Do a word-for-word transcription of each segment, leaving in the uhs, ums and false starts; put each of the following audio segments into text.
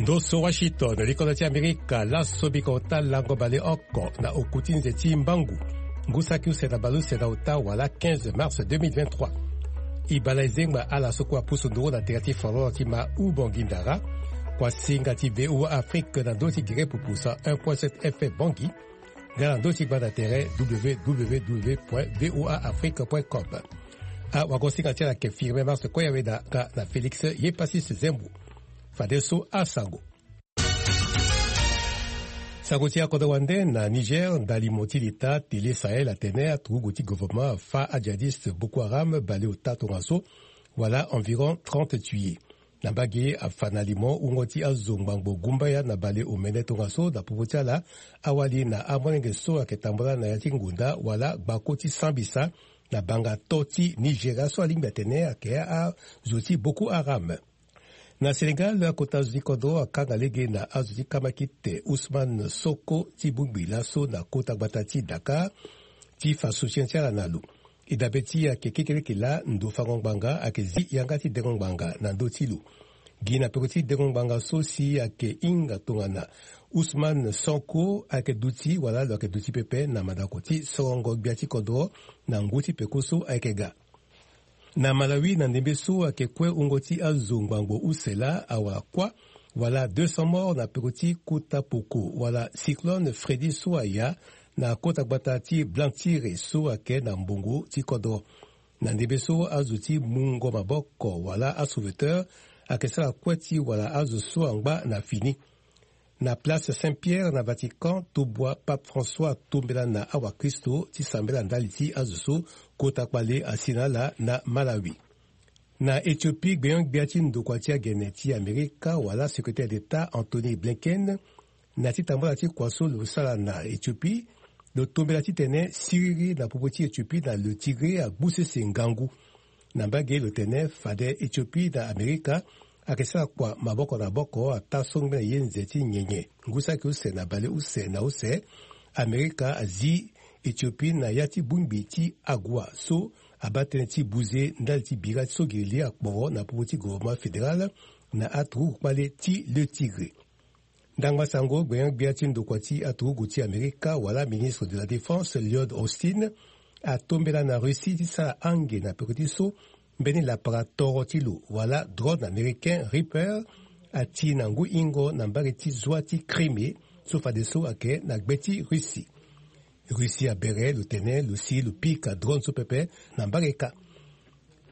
Ndo so Washington, likolo ti Amerika, laso biko ota lango baleoko na oku ti nze ti mbangu, ngu saki use na baleuse na ota wala quinze mars deux mille vingt-trois. E bale e zengba ala so kue apusu nduru na tere ti folklore ti ma Ubongi Ndara. Kuasinga ti V O A Afrique na ndo ti gere pupu cent un point sept F M Bangui. Nga na ndo ti gbanda tere W W W point V O A Afrique point com. Awagosinga ti ala ayeke Firmin Mars Koyaweda nga na Félix Yepasis Zembo. Fadeso asango. Sango ti akodro wande na Niger, ndali mo ti leta Télé Sahel atene aturugu ti gouvernement afa ajihadiste Boko Haram bale ota tongaso, wala environ trente tués. Na mbage afa na limo wungo ti azo ngbangbo gumbaya na bale omene tongaso na popo ti ala. Awali na amolenge so ayeke tambula na ya ti ngonda wala gbako ti sambisa na banga to ti Nigeria so alingbi atene ayeke azo ti Boko Haram. Na Sénégal, akota zo ti kodro akanga lege na azo ti kamakite Ousmane Sonko ti bongbi laso na kota gbata ti Dakar ti fa soutien ti ala na lo. E dabe ti e ayeke kekeleke laa ndo fango ngbanga ayeke zi yanga ti dengo ngbanga na ndö ti lo. Gi na peko ti dengo ngbanga so si ayeke hinga tongana Ousmane Sonko ayeke duti wala lo yeke duti pepe na mandako ti sorongo gbia ti kodro na ngu ti peko so ayeke ga. Na Malawi, na ndembe so ayeke kue wungo ti azo ngbangbo use laa awara kuâ wala deux cents morts na peko ti kota poko wala cyclone Freddy so aya na kota gbata ti Blantyre so ayeke na mbongo ti kodro. Na ndembe so azo ti mungo maboko wala asauveteur ayeke sara kue ti wara azo so angba na fini. Na place Saint-Pierre na Vatican, tobua Pape François atombela na awakristo ti sambela ndali ti azo so kota kpale asi na ala na Malawi. Na Éthiopie, gbenyo-gbia ti ndokua ti agene ti Amerika wala secrétaire d'État Anthony Blinken, na ti tambula ti kua so lo sara na Éthiopie, lo tombela titene siriri na popo ti Éthiopie na le Tigré agbu sese ngangu. Na mbage lo tene fade Éthiopie na Amerika ayeke sara kua maboko na maboko ataa so ngbene ye nze ti nyenye. Ngu saki use na baleuse na use, Amerika azi Éthiopie na ya ti bongbi ti Agoua so abaa tënë ti buze ndali ti bira ti so gere li akporo na popo ti gouvernement fédéral na aturugu kpale ti le Tigré. Ndangba sango, gbenyo-gbia ti ndokua ti aturugu ti Amerika wala ministre de la Défense Lloyd Austin atombela na Russie ti sara ange na peko ti so mbeni lapara toro ti lo wala drone américain Reaper ati na ngu hingo na mbage ti zwa ti Crimée so fadeso ayeke na gbe ti Russie. Russie abere lo tene lo si lo pika drone so pepe na mbage kâ.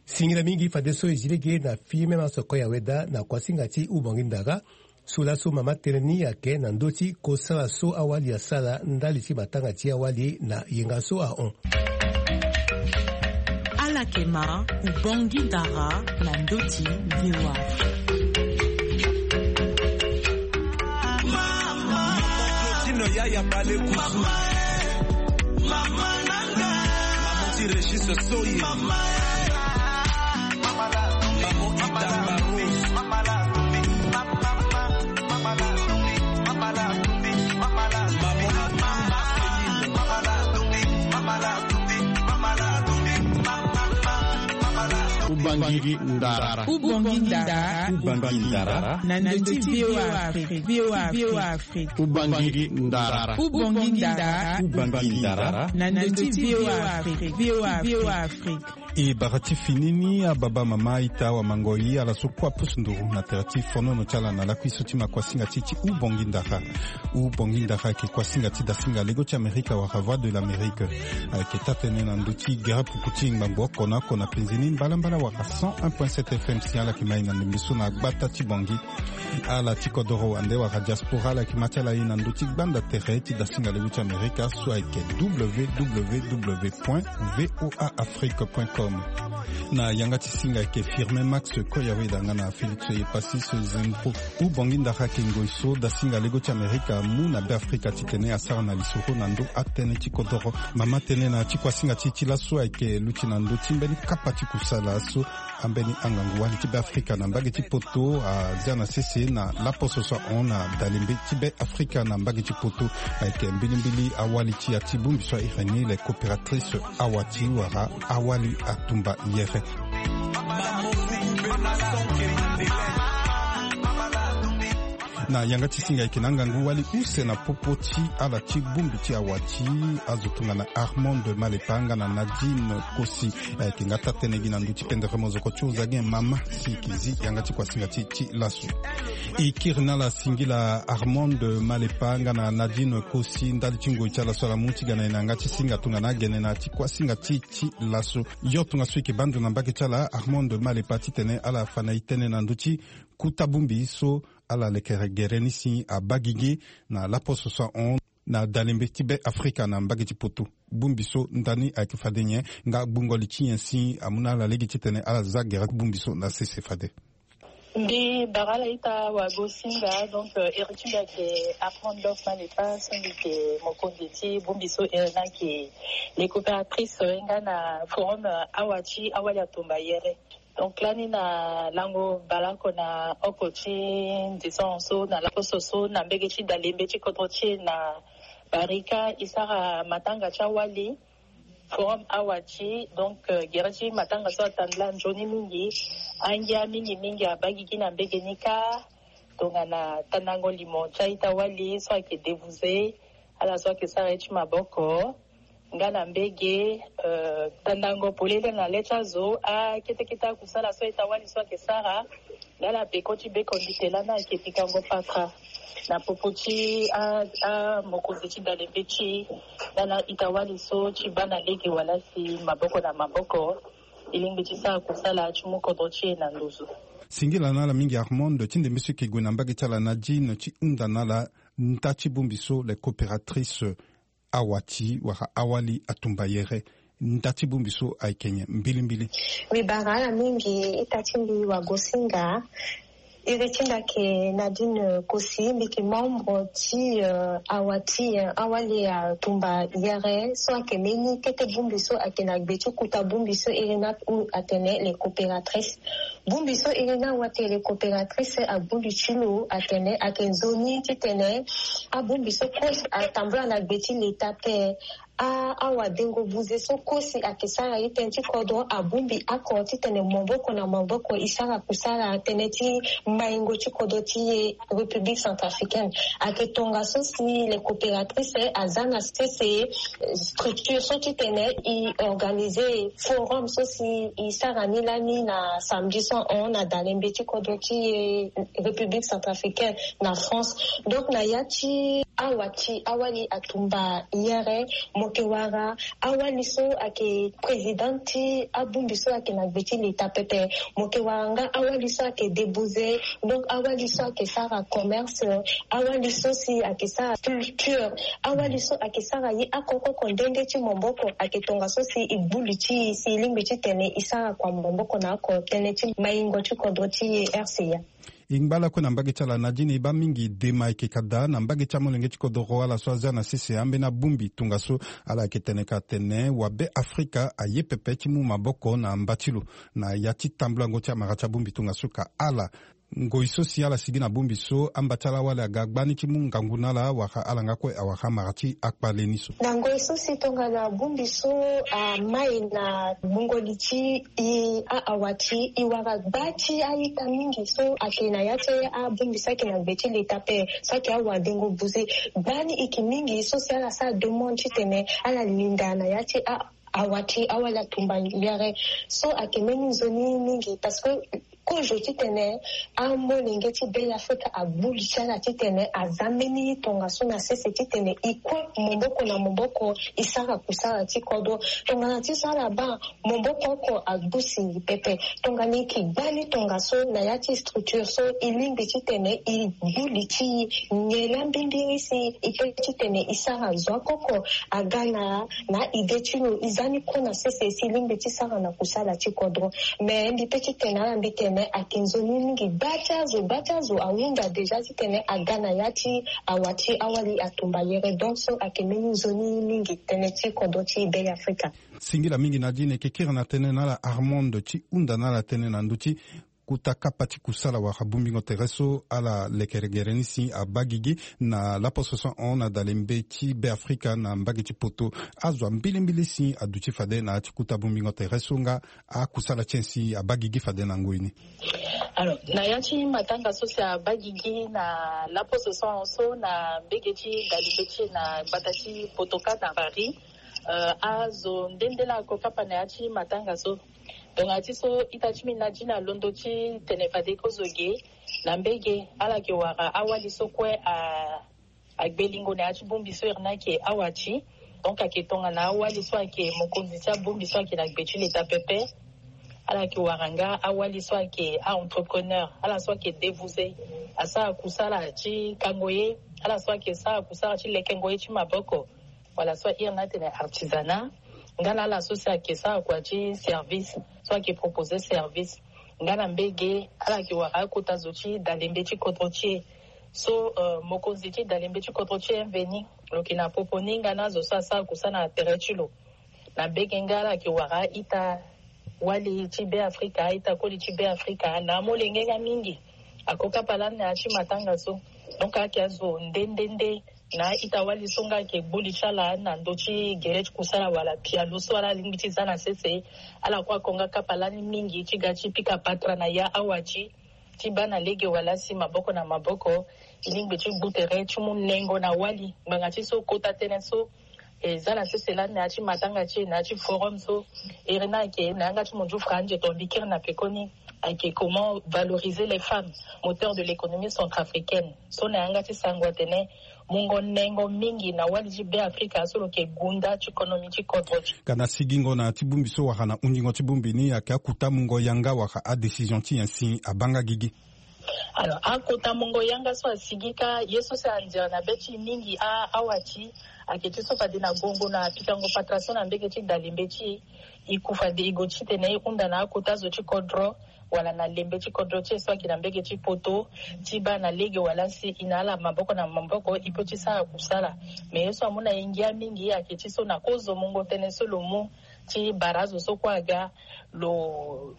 Singila mingi fadeso e zi lege na Firmin Mars Koyaweda na kuasinga ti Ubongi Ndara so laso mama tënë ni ayeke na ndö ti kosala so awali asara ndali ti matanga ti awali na yenga so ahon. Ala yeke ma Ubongi Ndara na ndö ti V O A. Tino yaya bale kusu. Mama nanga. Mama ti Régis Soyi. Mama. Mama Ida Barros. Ubongi Ndara. Ubongi Ndara. Ubongi Ndara. Na ndö ti V O A Afrique. V O A Afrique. Ubongi Ndara. Ubongi Ndara. Ubongi Ndara. Na ndö ti V O A Afrique. V O A Afrique. E bara ti fini ni, ababa, mama, ita, awamangoi, ala so kue apusu nduru na tere ti fonono ti ala na lakui so ti ma kuasinga ti ti Ubongi Ndara. Ubongi Ndara ayeke kuasinga ti dasinga lego ti Amerika wala Voix de l'Amérique. Ayeke taa-tënë na ndö ti gere puku ti ngbangbo oko na oko na penze ni mbalambala wala cent un point sept F M si ala yeke ma e na ndembe so na gbata ti Bangui. Ala ti kodoro wande wala diaspora, ala yeke ma ti ala e na ndö ti gbanda tere ti dasinga lego ti Amerika so ayeke W W W point V O A Afrique point com. Na yanga ti singa ayeke Firmin Max Koyaweda nga na Félix Epasis Zembo. Ubongi Ndara ayeke ngoi so dasinga lego ti Amerika amu na Beafrika titene asara na lisoro na ndö atënë ti kodoro. Mama tënë na ti kuasinga ti e ti laso ayeke luti na ndö ti mbeni kapa ti kusala so ambeni angangu wali ti Beafrika na mbage ti poto azia na sese na laposo so ahon na dalembe ti Beafrika na mbage ti poto. Ayeke mbilimbili awali ti ya ti bongbi so ahiri ni les coopératrices awati wala awali atumba yere. Na yanga ti singa ayeke na angangu wali use na popo ti ala ti bongbi ti awa ti azo tongana Armand Malepa nga na Nadine Kosi. Ayeke nga taa-tënë gi na ndö ti pendere mozoko ti hozagin mama si e yeke zi yanga ti kuasinga ti e ti laso. E kiri na ala singila Armand Malepa nga na Nadine Kosi ndali ti ngoi ti ala so ala mu ti ga na e na yanga ti singa tongana agene na ya ti kuasinga ti e ti laso. Yo tongaso e yeke baa ndo na mbage ti ala Armand Malepa titene ala fa na e tënë na ndö ti kuta bongbi so ala lekere gere ni si abaa gigi na laposo so ahon na dalembe ti Be Afrika na mbage ti poto. Bongbi so ndani ayeke fade nyen nga gbungo li ti nyen si amu na ala lege titene ala za gere bongbi so na sese fade? Mbi bara ala ita wagosinga, donc, euh, iri ti mbi ayeke Armand Malepa so mbi yeke mokonzi ti bongbi so iri ni ayeke les coopératrices, euh, nga na forum, euh, awa ti awali atumba yere. Donc lani na lango baleoko na oko ti ndison so na laposo so na mbege ti dalembe ti kodro ti e na Barika e sara matanga ti awali forum awa ti, donc, euh, gere ti matanga so atandela nzoni mingi. Angia mingi mingi abaa gigi na mbege ni kâ tongana tandango limo ti a-ita wali so ayeke débouser ala so ayeke sara ye ti maboko. Nga na mbege, euh, tandango polele na le ti azo akete kete akusala so a-ita wali so ayeke sara. Nga na peko ti beko ndite lani ayeke pikango patra na popo ti a, a mokonzi ti dalembe ti e nga na a-ita wali so ti baa na lege wala si maboko na maboko e lingbi ti sara kusala ti mu kodro ti e na nduzu. Singila na ala mingi Armand ti ndembe so e yeke gue na mbage ti ala Nadine ti hunda na ala nda ti bongbi so les coopératrices awa ti wala awali atumba yere. Nda ti bongbi so ayeke nyen mbilimbili? Mbi bara ala mingi ita ti mbi wagosinga. Iri ti mbi ayeke Nadine Kosi, mbi yeke membre ti, euh, awa ti, euh, awali atumba yere so ayeke mbeni kete bongbi so ayeke na gbe ti kuta bongbi so iri ni aku atene les coopératrices. Bongbi so iri ni awa tene coopératrice abu li ti lo atene ayeke nzoni titene abongbi so kue atambula na gbe ti leta ape. A, awadengo buze so kue si ayeke sara ye tënë ti kodro abongbi oko titene maboko na maboko e sara kusala tënë ti maingo ti kodro ti e République centrafricaine. Ayeke tongaso si les coopératrices aza na sese, euh, structure so titene e organiser forum so si e sara ni lani na samedi so ahon na dalembe ti kodro ti e République centrafricaine na France. Donc na ya ti awa ti awali atumba yere, mo yeke wara awali so ayeke président ti abongbi so ayeke na gbe ti leta pepe. Mo yeke wara nga awali so ayeke débouser, donc awali so ayeke sara commerce, awali so si ayeke sara culture, awali so ayeke sara ye oko oko nde nde ti maboko. Ayeke tongaso si e gbu li ti e si e lingbi titene e sara kua maboko na oko tënë ti maingo ti kodro ti e R C A. E ngba lakue na mbage ti ala Nadine, e baa mingi dema ayeke ka daa na mbage ti amolenge ti kodro ala so aza na sese ambeni abongbi tongaso ala yeke tene ka atene wa Be Afrika aye pepe ti mu maboko na mba ti lo na ya ti tambulango ti amara ti abongbi tongaso ka ala. Ngoi so si ala sigi na bongbi so, amba ti ala wali aga gbani ti mu ngangu na ala wala ala nga kue awara amara ti akpale ni so. Na ngoi so si tongana bongbi so amai na gbungo li ti e a-awa ti e wara gba ti a-ita mingi so ayeke na ya ti abongbi so ayeke na gbe ti leta ape so ayeke awadengo buze. Gbani e yeke mingi so si ala sara demande titene ala linda na ya ti a awa ti awali atumba yere. So ayeke mbeni nzoni mingi parce que kozo titene amolenge ti Be Afrika agbu li ti ala titene aza mbeni tongaso na sese titene e kue maboko na maboko e sara kusala ti kodro. Tongana ti so ala baa maboko oko agbu si pepe. Tongana e yeke gbani tongaso na ya ti structure so e lingbi titene e gbu li ti e nyen laa mbimbiri si e kiri titene e sara zo akoko aga na na idée ti lo e za ni kue na sese si e lingbi ti sara na kusala ti kodro. Mais mbi pe ti tene ala mbi tene ayeke nzoni mingi. Gba ti azo, gba ti azo ahunda déjà titene aga na ya ti awa ti awali atumba yere. Donc so ayeke mbeni nzoni mingi tënë ti kodro ti Be Afrika. Singila mingi Nadine. E yeke kiri na tënë na ala Armand ti hunda na ala tënë na ndö ti kota kapa ti kusala wala bongbingo tere so ala lekere gere ni si abaa gigi na laposo so ahon na dalembe ti Beafrika na mbage ti poto. Azo ambilimbili si aduti fade na ya ti kota bongbingo tere so nga akusala ti nyen si abaa gigi fade na ngoi ni. Alors, na ya ti matanga so si abaa gigi na laposo so ahon so na mbage ti dalembe ti e na gbata ti poto kâ na Paris. Euh, azo nde nde laa ako kapa na ya ti matanga so. Tongana ti so ita ti mbi na dina londo ti tene fade kozo ge na mbage ala yeke wara awali so kue a agbe lingo na ya ti bongbi so iri ni ayeke awa ti. Donc ayeke tongana awali so ayeke mokonzi ti abongbi so ayeke na gbe ti leta pepe. Ala yeke wara nga awali so ayeke a-entrepreneur, ala so ayeke dévousé, asara kusala ti kango ye, ala so ayeke sara kusala ti lekengo ye ti maboko, wala so iri ni atene artisanat. Nga na ala so si ayeke sara kua ti service, so ayeke proposer service. Nga na mbage ala yeke wara akota zo ti dalembe ti kodro ti e. So, euh, mokonzi ti dalembe ti kodro ti e mveni, lo yeke na popo ni nga na azo so asara kusala na tere ti lo. Na mbage nga ala yeke wara a-ita wali ti Beafrika, a-ita koli ti Beafrika na amolenge nga mingi. Ako kapa lani na ya ti matanga so. Donc ayeke azo nde nde nde na a-ita wali so nga ayeke gbu li ti ala na ndö ti gere ti kusala wala pialo so ala lingbi ti za na sese. Ala kue ako nga kapa lani mingi ti ga ti pika patara na ya awa ti ti baa na lege wala si maboko na maboko, e lingbi ti gbu tere ti mu nengo na wali. Ngbanga ti so kota tënë so e za na sese lani na ya ti matanga ti e, na ya ti forum so, iri ni ayeke na yanga ti munzu franze to mbi kiri na pekoni, ayeke comment valoriser les femmes, moteur de l'économie centrafricaine. So na yanga ti sango atene mungo nengo mingi na wali ti Beafrika so lo yeke gunda ti konomi ti kodro ti. Ka na sigingo na ti bongbi so wala na hundingo ti bongbi ni, ayeke akota mungo yanga wala adécision ti nyen si abaa nga gigi? Alors, akota mungo yanga so asigi kâ, ye so si anzere na be ti e mingi a, awa ti, ayeke ti so fade na gongo na pikango patara so na mbage ti dalembe ti e, e ku fade e gue titene e hunda na akota zo ti kodro, wala na lembe ti kodro ti e so ayeke na mbage ti poto, ti baa na lege wala si e na ala maboko na maboko e peut ti sara kusala. Mais ye so amu na e ngia mingi ayeke ti so na kozo mungo tënë so lo mu ti bara azo so kue aga, lo,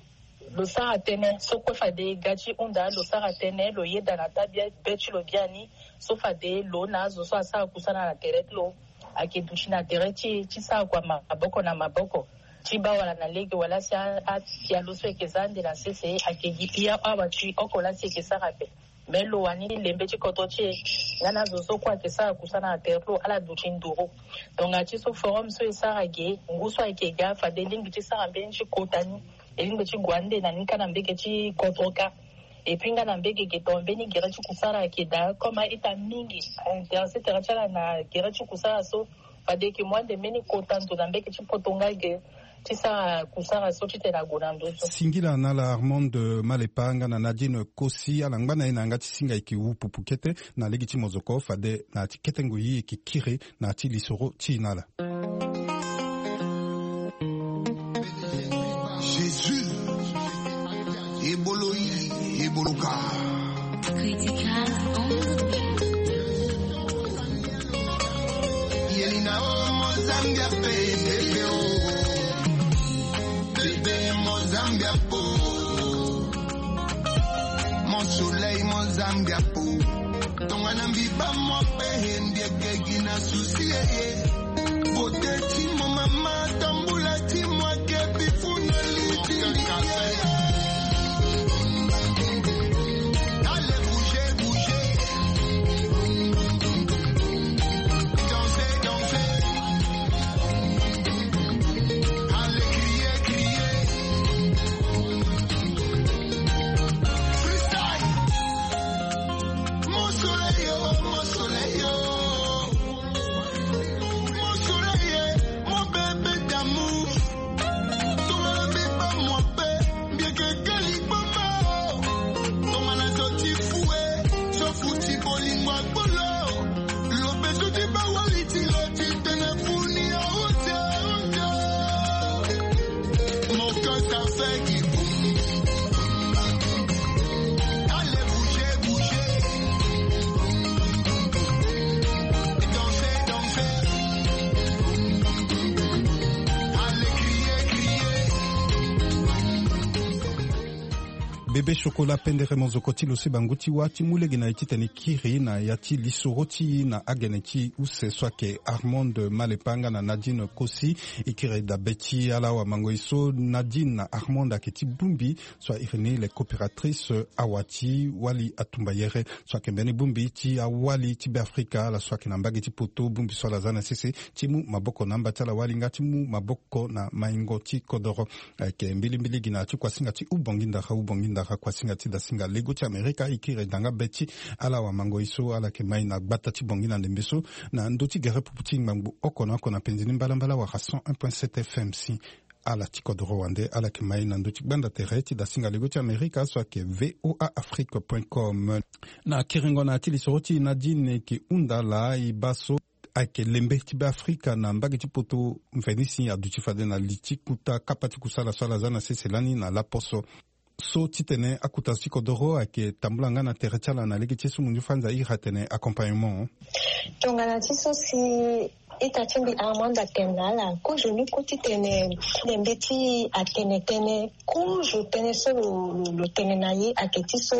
lo sara tënë so kue fade ga ti hunda, lo sara tënë, lo yeda na tabia be ti lo biani, so fade lo na azo so asara kusala na tere ti lo ayeke duti na tere ti e ti sara kua maboko na maboko. Ti baa wala na lege wala si a, apialo so e yeke za ande na sese ayeke gi pia awa ti oko laa si e yeke sara ape. Me lo wani ti lembe ti kodro ti e nga na azo so kue ayeke sara kusala na tere ti lo ala duti nduru. Tongana ti so forum so e sara ge, ngu so ayeke ga fade e lingbi ti sara mbeni ti kota ni, e lingbi ti gue ande na ni kâ na mbage ti kodro kâ. Et puis nga na mbage ge tongana mbeni gere ti kusala ayeke daa, comme a-ita mingi aintéressé tere ti ala na gere ti kusala so, fade e yeke mu ande mbeni kota ndo na mbage ti poto nga ge ti sara kusala so titene ague na ndö so. Singila na ala Armande Malepa nga na Nadine Kosi, ala ngba na e na yanga ti singa e yeke wu pupu kete na lege ti mozoko fade na ya ti kete ngoi e yeke kiri na ya ti lisoro ti e na ala. Jésus, ebolo yi, ebolo ka. Critical on the beat. Yelina o mo Zambia pe, bébé o. Bébé mo Zambia po. Mon soleil, mon Zambia po. Tongana mbi baa mo ape, he mbi eke gi na souci, eh, eh. Beauté ti mo mama, tambula ti mo ake, bifuna liti. Allez, bougez, bougez. Dansez, dansez. Allez, criez, criez. Freestyle. Mon soleil, oh, mon soleil, oh. Mon soleil, eh, mon bébé d'amour. Tongana mbi baa mo ape, mbi eke kali gboma, oh. Tongana zo ti fou, eh, zo fou ti bolingo akpolo. Lobe zo ti baa wali ti lo ti tene funi, oh, oh, oh. Mon cœur ça fait qui boum. Allez, bougez, bougez. Dansez, dansez. Allez, criez, criez. Be Be chocolat pendere mozoko ti lo si bangu ti wâ ti mu lege na e titene e kiri na ya ti lisoro ti e na agene ti use so ayeke Armand Malepa nga na Nadine Kosi. E kiri dabe ti ala awamango e so Nadine na Armand ayeke ti bongbi so a iri ni les coopératrices awa ti wali atumbayere so ayeke mbeni bongbi ti awali ti Beafrika ala so ayeke na mbage ti poto, bongbi so ala za na sese ti mu maboko na amba ti ala wali nga ti mu maboko na maingo ti kodoro. Ayeke mbilimbili gi na ya ti kuasinga ti ubongi ndara ubongi ndara kuasinga ti dasinga lego ti Amerika e kiri da nga be ti ala awamango e so ala yeke mai na gbata ti Bangui na ndembe so na ndö ti gere pupu ti ngbangbo oko na oko na penzi ni mbalambala wala cent un point sept F M si. Ala ti kodoro wande ala yeke mai na ndö ti gbanda tere ti dasinga lego ti Amerika so ayeke V O A Afrique point com. Na kiringo na ya ti lisoro ti e Nadine e ke hunda laa e baa so ayeke lembe ti Beafrika na mbage ti poto mveni si aduti fade na li ti kuta kapa ti kusala so ala za na sese lani na laposo so titene akuta zo ti kodoro ayeke tambula nga na tere ti ala na lege ti ye so munzu fanza e iri atene accompagnement. Tongana ti so si ita ti mbi Armand atene na ala kozo ni kue titene lembe ti atene tënë kozo tënë so lo, lo, lo tene na ye ayeke ti so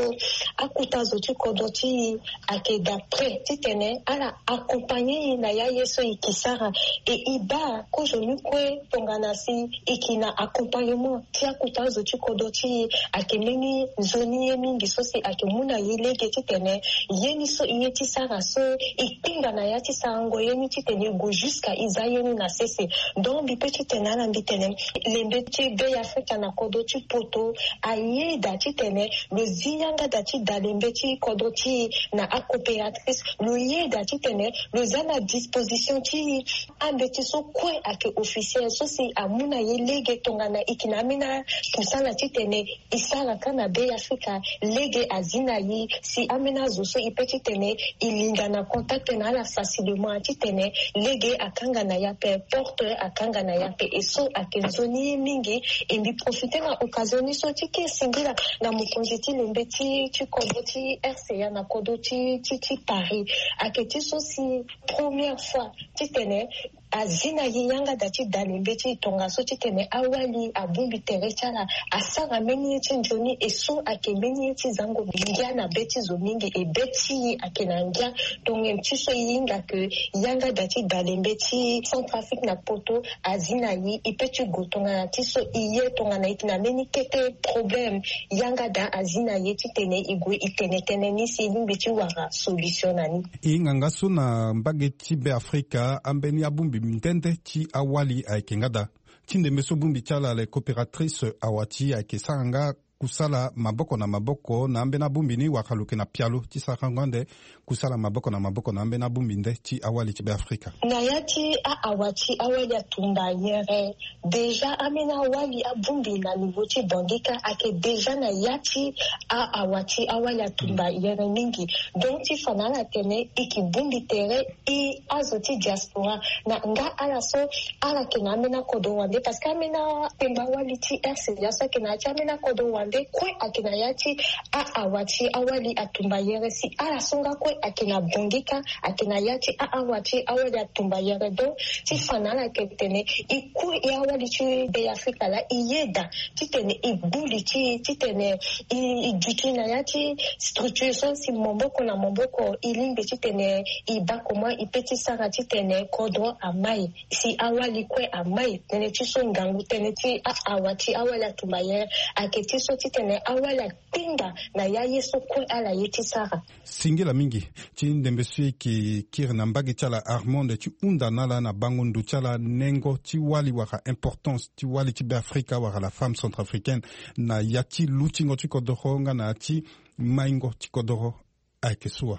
akuta zo ti kodro ti e ayeke d'après titene ala accompagner e na ya ye so e ke sara. E e baa kozo ni kue tongana si e ke na accompagnement ti akuta zo ti kodro ti e ayeke mbeni nzoni ye mingi so si ayeke mu na e lege titene ye ni so e ye ti sara so e kpinga na ya ti sarango ye ni titene e gue jusqu'à e za ye ni na sese. Donc mbi pe titene ala mbi tene lembe ti Be Afrika na kodro ti poto ayeda titene lo zi yanga da ti da lembe ti kodro ti e na acoopératrice lo yeda titene lo za na disposition ti e ambeti so kue ayeke officiel so si amu na e lege tongana e ke na ambeni akusala titene e sara kâ na Be Afrika lege azi na e si ambeni azo so e pe titene e linga na contact na ala facilement titene lege akanga na e ape porte akanga na e ape e so ayeke nzoni ye mingi. E mbi profiter na occasion ni so ti ke singila na mokonzi ti lembe ti ti kodro ti R C A na kodro ti ti ti Paris ayeke ti so si première fois titene azi na e yanga da ti da lembe ti e tongaso titene awali abongbi tere ti ala asara mbeni ye ti nzoni e so ayeke mbeni ye ti zango ngia na be ti zo mingi e be ti e ayeke na ngia. Tongana ti so e hinga ke yanga da ti da lembe ti Centrafrique na poto azi na e e pe ti gue tongana ti so e ye tongana e yeke na mbeni kete problème yanga da azi na e titene e gue e tene tënë ni si e lingbi ti wara solution na ni. E hinga nga so na mbage ti Be Afrika ambeni abongbi nde nde ti awali ayeke nga daa. Ti ndembe so bongbi ti ala les coopératrices awa ti e ayeke sara nga kusala maboko na maboko na ambeni abongbi ni wala lo yeke na pialo ti sarango ande kusala maboko na maboko na ambeni abongbi nde ti awali ti Be Afrika. Na ya ti a awa ti awali atumba yere déjà ambeni awali abongbi na niveau ti Bangui kâ ayeke déjà na ya ti a awa ti awali atumba yere mingi. Donc ti fa na ala tene e ke bongbi tere e azo ti diaspora na nga ala so ala yeke na ambeni akodro wande parce que ambeni akpemba wali ti R C A so ayeke na ya ti ambeni akodro wande kue ayeke na ya ti a awa ti awali atumba yere si ala so nga kue ayeke na Bangui kâ ayeke na ya ti a awa ti awali atumba yere. Donc ti fa na ala yeke tene e kue e awali ti Be Afrika laa e yeda titene e gbu li ti e titene e e duti na ya ti structure so si maboko na maboko e lingbi titene e baa comment e pe ti sara titene kodro amai si awali kue amai tënë ti so ngangu tënë ti a awa ti awali atumba yere ayeke ti so titene awali akpinga na ya ye so kue ala ye ti sara. Singila mingi ti ndembe so e yeke kiri na mbage ti ala Armand ti hunda na ala na bango ndo ti ala nengo ti wali wala importance ti wali ti Be Afrika wala la femme centrafricaine na ya ti lutingo ti kodoro nga na ya ti maingo ti kodoro. Ayeke so wa.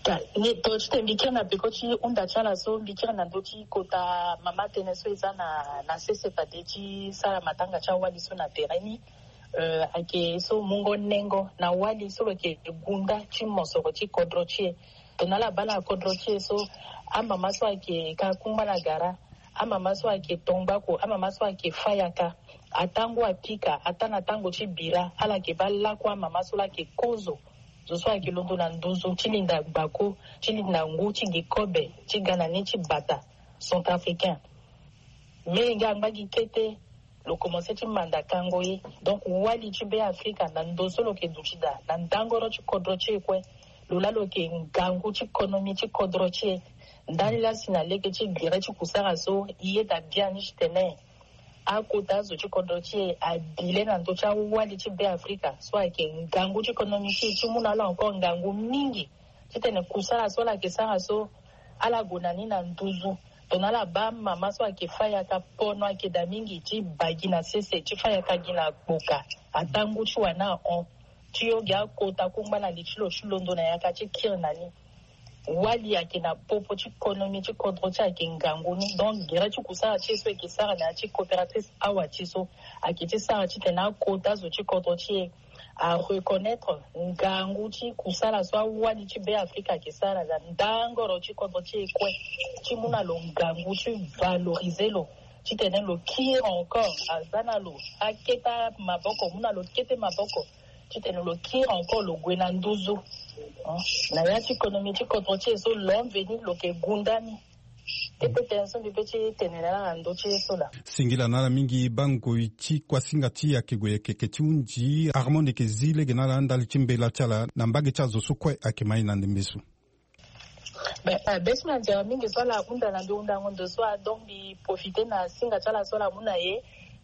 Tongana ti tene mbi kiri na peko ti hunda ti ala so mbi kiri na ndö ti kota mama tënë so e za na na sese fade ti sara matanga ti awali so na tere ni. Euh, ayeke so mungo nengo na wali so lo yeke gunda ti mosoro ti kodro ti e. Tongana ala baa na kodro ti e so amama so ayeke ka kungba na gara, amama so ayeke tongbako, amama so ayeke fayaka, atango apika ata na tango ti bira ala yeke baa lakue amama so laa ayeke kozo zo so ayeke londo na nduzu ti linda gbako ti linda ngu ti gi kobe ti ga na ni ti bata centrafricain. Menge angba gi kete lo commence ti manda kango ye. Donc wali ti Be Afrika na ndo so lo yeke duti daa na ndangoro ti kodro ti e kue. Lo laa lo yeke ngangu ti konomi ti kodro ti e. Ndali laa si na lege ti gere ti kusara so, i yeda biani titene akota azo ti kodro ti e abi le na ndö ti awali ti Be Afrika so ayeke ngangu ti konomi ti e, ti mu na ala encore ngangu mingi titene kusara so ala yeke sara so, ala gue na ni na nduzu. Tongana ala baa mama so ayeke fâ yaka, pono ayeke daa mingi ti baa gi na sese, ti fâ yaka gi na gboka, ataa ngu ti wani ahon. Ti yo gi akota kungba na li ti lo ti londo na yaka ti kiri na ni. Wali ayeke na popo ti konomi ti kodro ti e, ayeke ngangu ni. Donc gere ti kusara ti e so e yeke sara na ya ti coopératrice awa ti e so, ayeke ti sara titene akota zo ti kodro ti e a reconnaître ngangu ti kusala so awali ti Be Afrika ayeke sara na ndangoro ti kodro ti e kue, ti mu na lo ngangu ti valoriser lo, titene lo kiri encore, aza na lo akete maboko, mu na lo kete maboko, titene lo kiri encore, lo gue na nduzu. Hein? Na ya ti konomi ti kodro ti e so, l'an venu lo yeke gunda ni. Kete tene so mbi pe ti tene na ala na ndö ti ye so laa. Singila na ala mingi. Bangoi ti kuasinga ti e ayeke gue yeke yeke ti hunzi. Armand, e yeke zi lege na ala ndali ti mbela ti ala na mbage ti azo so kue ayeke ma e na ndembe so. Be, eh, be so na nzere mingi so ala hunda na mbi hundango ndo so, ah, donc mbi profiter na singa ti ala so ala mu na e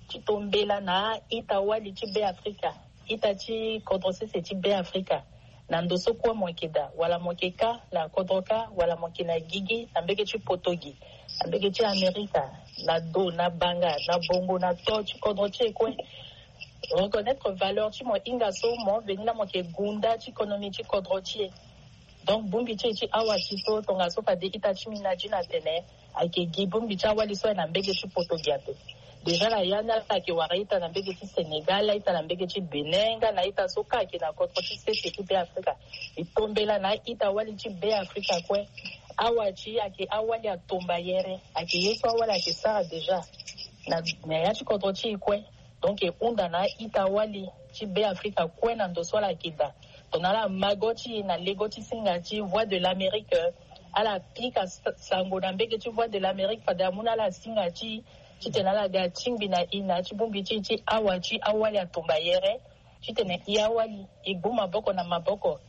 ti to mbela na a-ita wali ti Be Afrika, ita ti kodro sese ti Be Afrika. Na ndo so kue mo yeke daa, wala mo yeke kâ na kodro kâ, wala mo yeke na gigi, na mbege ti poto gi, na mbege ti Amerika, na do, na banga, na bongo, na to ti kodro ti e kue. Reconnaître valeur ti mo hinga so, mo veni laa mo yeke gunda ti konomi ti kodro ti e. Donc bongbi ti e ti awa ti so, tongaso fade ita ti mbi na dina atene ayeke gi bongbi ti awali so aye na mbege ti poto gi ape. Déjà na ya ni ala yeke wara ita na mbege ti Sénégal, ita na mbege ti Bénin, nga na ita so kâ ayeke na kodro ti sese ti Be Afrika. E to mbela na a-ita wali ti Be Afrika kue. Awa ti e ayeke awali atombayere, ayeke ye so awali ayeke sara déjà na, na ya ti kodro ti e kue. Donc e hunda na a-ita wali ti Be Afrika kue na ndo so ala yeke daa. Tongana ala ma go ti e na lego ti singa ti Voix de l'Amérique, ala pika sa-, sango na mbege ti Voix de l'Amérique fade amu na ala singa ti e, titene ala ga tingbi na e na ya ti bongbi ti e ti awa ti awali atombayere, titene e awali e gbu maboko na maboko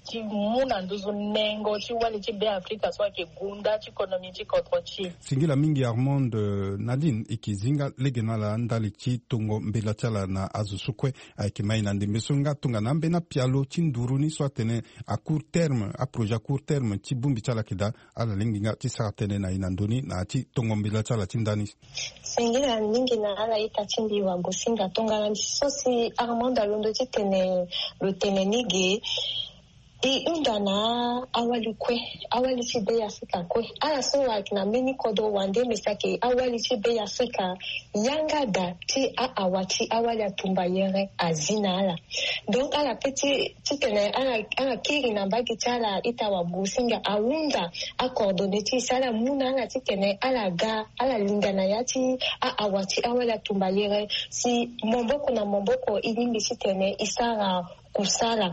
ti mu na nduzu nengo ti wali ti Be Afrika so ayeke gunda ti konomi ti kodro ti e. Singila mingi Armand. Eh, Nadine, e yeke zi nga lege na ala ndali ti tongo mbela ti ala na azo so kue ayeke ma e na ndembe so, nga tongana ambeni apialo ti nduru ni so atene à court terme, aprojet à court terme ti bongbi ti ala ayeke daa, ala lingbi nga ti sara tënë na e na ndö ni na ya ti tongo mbela ti ala ti ndani. Singila mingi na ala ita ti mbi wagosinga. Tongana so si Armand alondo titene lo tene ni ge, e hunda na awali kue, awali ti Be Afrika kue. Ala so ayeke na mbeni kodro wande, me si ayeke awali ti Be Afrika, yanga daa ti a-awa ti awali atumbayere azi na ala. Donc ala pe ti, titene ala, ala kiri na mbage ti ala ita wagosinga, ahunda acoordonné ti e si ala mu na ala titene ala ga, ala linda na ya ti a-awa ti awali atumbayere, si maboko na maboko e lingbi titene e sara kusala.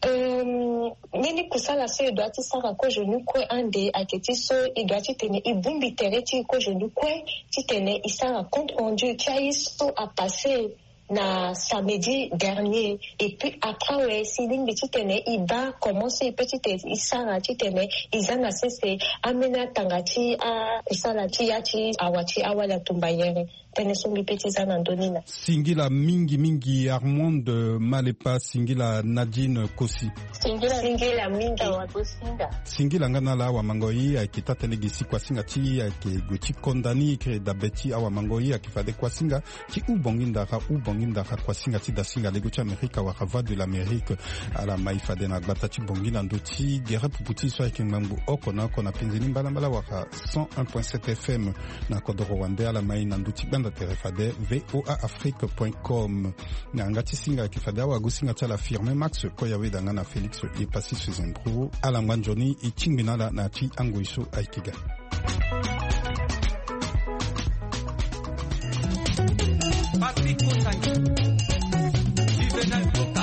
Euh, mbeni kusala so e doit ti sara kozo ni kue ande ayeke ti so e doit titene e bongbi tere ti e kozo ni kue, titene e sara compte rendu ti aye so apasse na samedi dernier. Et puis après awe, si e lingbi titene e baa comment so e pe titene e sara titene e za na sese ambeni atanga ti akusala ti ya ti awa ti awali atumbayere. Tënë so mbi pe ti za na ndö ni laa. Singila mingi mingi Armand, eh, Malepa, singila Nadine Kosi. Singila, singila mingi. Awa Kosinga. Singila nga na ala, awamango-i ayeke taa-tënë gi si kuasinga ti e ayeke gue ti konda ni. E yeke dabe ti awamango-i ayeke fade kuasinga ti Ubongi Ndara, Ubongi Ndara, kuasinga ti dasinga lego ti Amerika wala Voix de l'Amérique. Ala ma e fade na gbata ti Bongi na ndö ti gere pupu ti e so ayeke ngbangbo oko na oko na penze ni mbalambala wala cent un point sept F M. Na kodoro wande ala ma e na ndö ti gbanda tere fade V O A Afrique point com. Na yanga ti singa ayeke fade awagosinga ti ala Firmin Max Koyaweda nga na Félix Epassis Zembro. Ala ngba nzoni, e tingbi na ala na ya ti angoi so ayeke ga. Patrick Motangi, Juvenal Coca.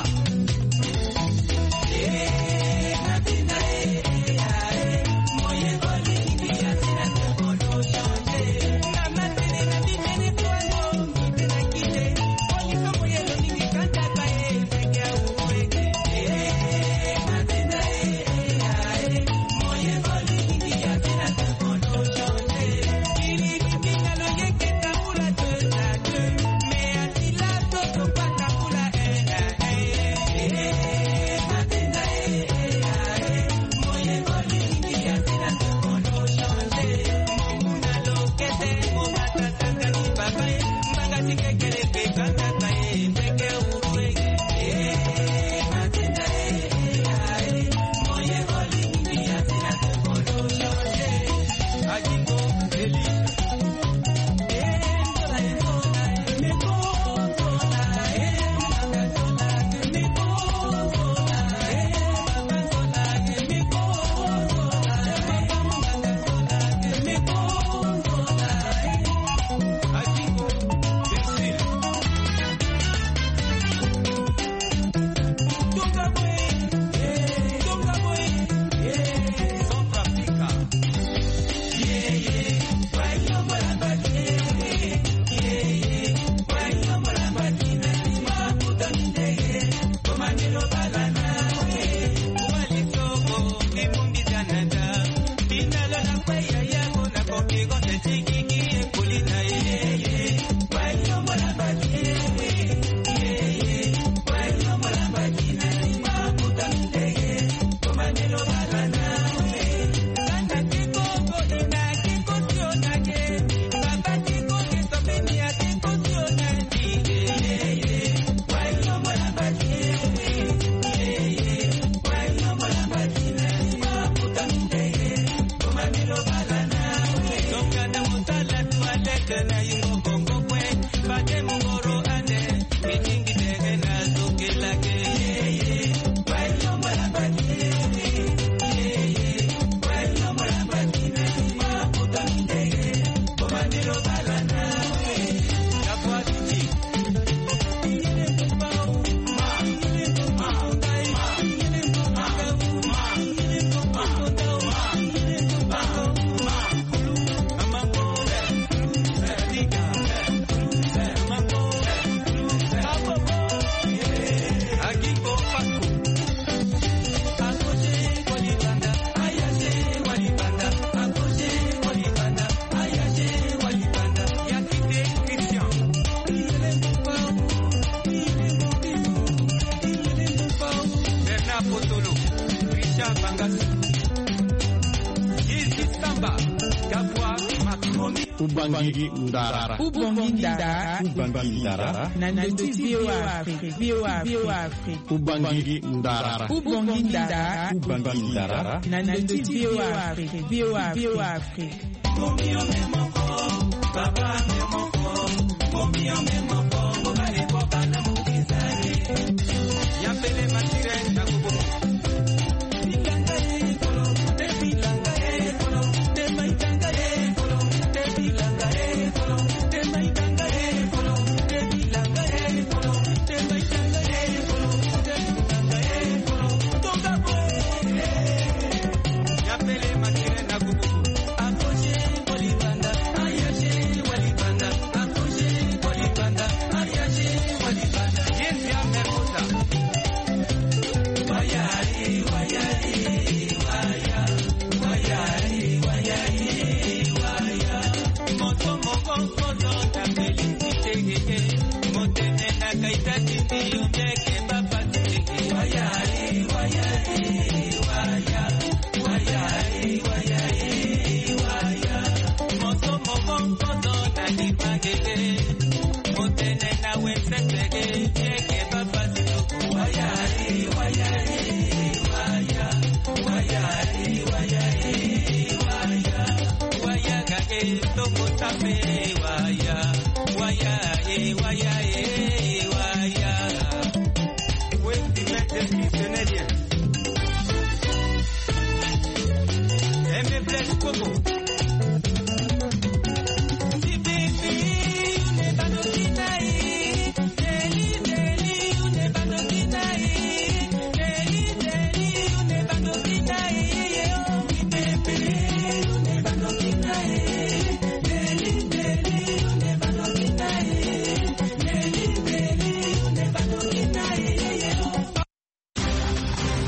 Ubangi ndara. Ubangi ndara. Ubangi ndara. Na ndö ti V O A Afrique. V O A Afrique. Ubangi ndara. Ubangi ndara. Ubangi ndara. Na ndö ti V O A Afrique. V O A Afrique.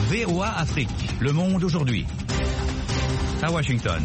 V O A Afrique, le monde aujourd'hui. À Washington.